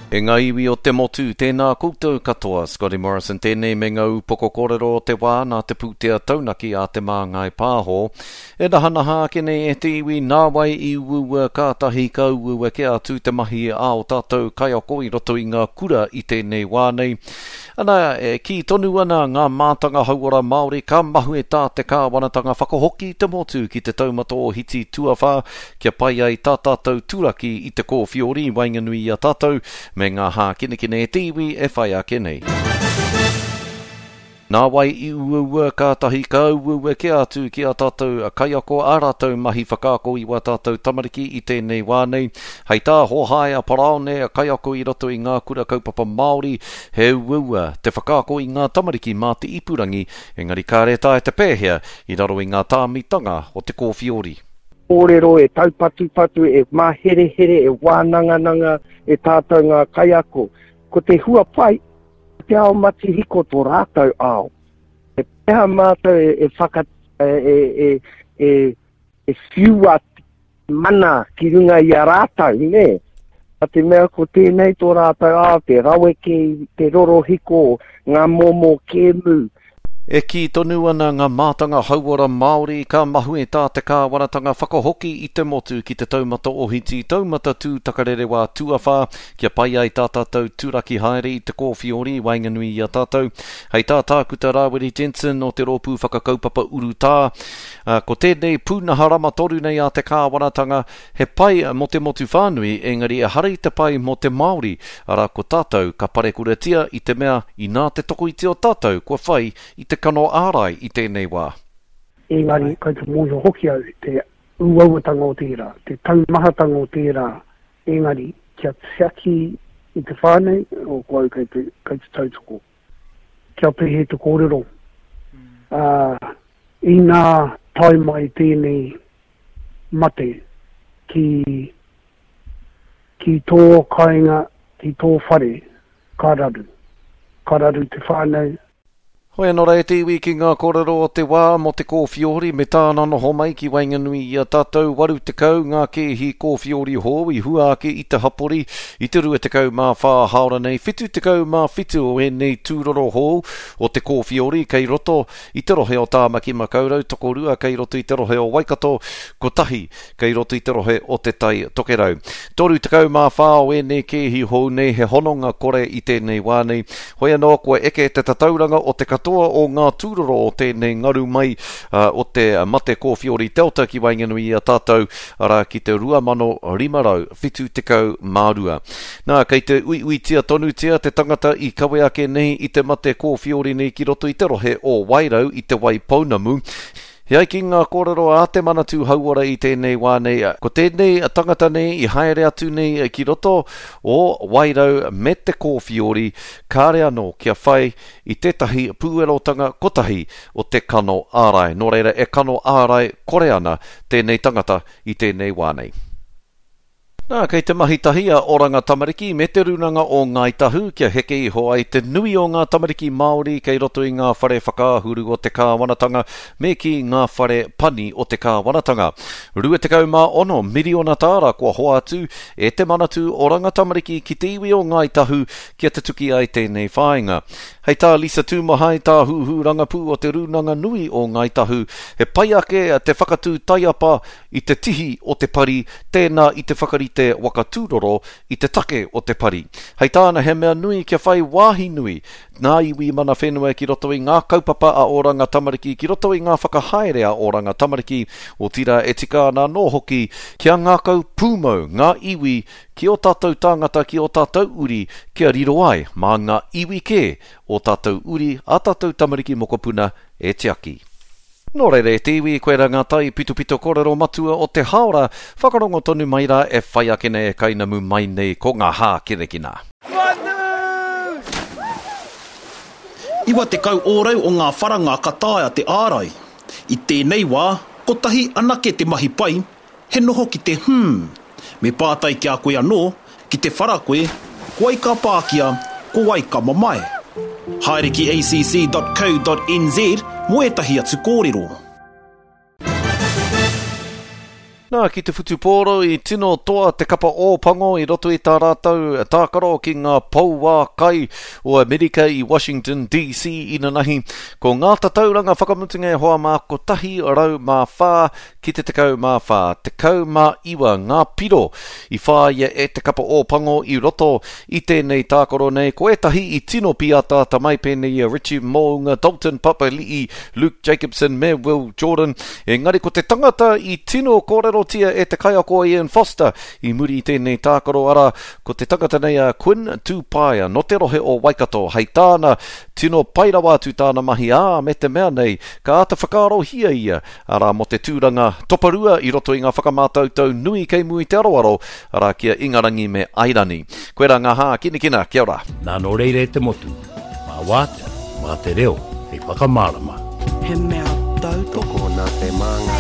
E ngā iwi o te motu, tēnā koutou katoa. Scotty Morrison tēnei me ngā upoko kōrero o te wā nā te pūtea taunaki a Te Māngai Pāho. E nahanaha ake nei e te iwi nā wai i uaua kātahi ka uaua kē atu te mahi a ō tātou kaiako i roto i ngā kura i tēnei wā nei. Ana, e kī tonu ana ngā mātanga hauora Māori ka mahue tā te kāwanatanga whakahoki i te motu ki te taumata ohiti tuawhā kia pai ai tā tātou turaki i te kōwhiori i waenganui i a tātou me ngā hākinakina e te iwi e whai ake nei. Nā wai i uaua kātahi ka uaua kē atu ki ā tātou kaiako ā rātou mahi whakaako i wā tātou tamariki i tēnei wā nei. Hei tā Hohaia Paraone, kaiako i roto i ngā kura kaupapa Māori, he uaua te whakaako i ngā tamariki mā te ipurangi, engari kāre taea te pēhea i raro i ngā tāmitanga o te kōwhiori. Kōrero e taupatupatu, e māherehere, e wānangananga e tātou ngā kaiako. Ko te hua pai, Te ao matihiko tō rātou ao. E pēhea mātou e, e whaka, e, e, e, e, e whiua mana ki runga i a rātou, nē? A te mea ko tēnei tō rātou ao, te raweke, te rorohiko, ngā momo kēmu, E kī tonu ana ngā mātanga hauora Māori ka mahue tā te kāwanatanga whakahoki i te motu ki te taumata ohiti, taumata tū takarerewā tuawhā, kia pai ai tā tātou turaki haere i te kōwhiori i waenganui i a tātou. Hei tā Tākuta Rāwiri Jensen o te Rōpū Whakakaupapa Urutā, ko tēnei pūnaha rama toru nei a te kāwanatanga, He pai mō te motu whānui, engari ehara i te pai mō te Māori, arā ko tātou ka parekuratia i te mea inā te tokoiti o tātou kua whai i te kano ārai i tēnei wā. Engari, kai te mōhio hoki au te uauatanga o tērā, te taumahatanga o tērā, engari kia tiaki i te whānau, o ko au kei te, kei te tautoko. Kia pēhea te kōrero, ā, inā tae mai tēnei mate ki, ki tō kāinga, ki tō whare, ka raru. Ka raru te whānau. Hoi anō rā e te iwi ki ngā kōrero o te wā mō te kōwhiori me tāna noho mai ki waenganui i a tātou 80 ngā kēhi kōwhiori hou i hua ake i te hapori i te 24 hāora nei 77 o ēnei tūroro hou o te kōwhiori kei roto I te rohe o Tāmaki Makaurau, tokorua kei roto i te rohe o Waikato, kotahi kei roto i te rohe o Te Tai Tokerau. 34 o ēnei kēhi hou nei he hononga kore i tēnei wā nei. Hoi anō, kua eke te tatauranga o te katoa o ngā tūroro o tēnei ngaru mai o te mate kōwhiori Delta ki waenganui i a tātou, arā ki te 2572. Nā, kei te uiuitia tonutia te tangata i kawe ake nei i te mate kōwhiori nei ki roto i te rohe o Wairau i Te Waipounamu. E ai ki ngā kōrero a Te Manatū Hauora i tēnei wā nei, ko tēnei tangata nei i haere atu nei ki roto o Wairau me te kōwhiori, kāre anō kia whai i tētahi pūerotanga kotahi o te kano ārai. Nō reira, e kano ārai kore ana tēnei tangata i tēnei wā nei. Nā, kei te mahi tahi a Oranga Tamariki me Te Rūnanga o Ngāi Tahu kia heke iho ai te nui o ngā tamariki Māori kei roto i ngā whare whakaahuru o te kāwanatanga me kī ngā whare pani o te kāwanatanga. 26 miriona tāra kua hoatu e Te Manatū Oranga Tamariki ki te iwi o Ngāi Tahu kia tutuki ai tēnei whāinga. Hei tā Lisa Tūmahai, tāhuhu rangapū o Te Rūnanga Nui o Ngāi Tahu, he pai ake te whakatū taiapa i te tihi o te pari, tēnā i te whakarite waka tūroro i te take o te pari. Hei tāna he mea nui kia whai wāhi nui ngā iwi mana whenua ki roto i ngā kaupapa a Oranga Tamariki, ki roto i ngā whakahaere a Oranga Tamariki, otirā e tika ana anō hoki kia ngākau pūmau ngā iwi ki ō tātou tāngata, ki ō tātou uri kia riro ai mā ngā iwi kē ō tātou uri, ā tātou tamariki mokopuna e tiaki. Nō reira e te iwi, koirā ngā tai pitopito kōrero matua o te haora, whakarongo tonu mai rā e whai ake nei e kainamu mai nei ko ngā hākinakina. 90 ōrau o ngā wharanga ka taea te ārai. I tēnei wā, kotahi anake te mahi pai, He noho ki te hmm. Me pātai ki a koe anō, ki te whara koe, ko wai ka pākia, ko wai ka mamae? Haere ki acc.co.nz mō ētahi atu kōrero. Nā, ki te whutupōro i tino toa te kapa Ōpango i roto i tā rātou tākaro ki ngā pouākai o Amerika i Washington DC inanahi. Ko ngā tatauranga whakamutunga e hoa mā 104 ki te 14, 19 ngā piro i whāia e te kapa Ōpango i roto i tēnei tākaro nei. Ko ētahi i tino pīataata mai pēnei i a Richie Mo'unga, Dalton Papali'i, Luke Jacobson me Will Jordan. Engari ko te tangata i tino kōrerotia e te kaiako a Ian Foster i muri i tēnei tākaro arā, ko te tangata nei a Quinn Tupaea nō te rohe o Waikato. Hei tāna, tino pai rawa atu tāna mahi ā, me te mea nei, ka āta whakaarohia ia arā, mō te tūranga toparua i roto i ngā whakamātautau nui kei mua i te aroaro, arā, ki a Ingarangi me Airani. Koirā ngā hākinakina, kia ora. Nā nō reira e te motu, mā wātea, mā te reo hei whakamārama. He mea tautoko. Tokona te māngai.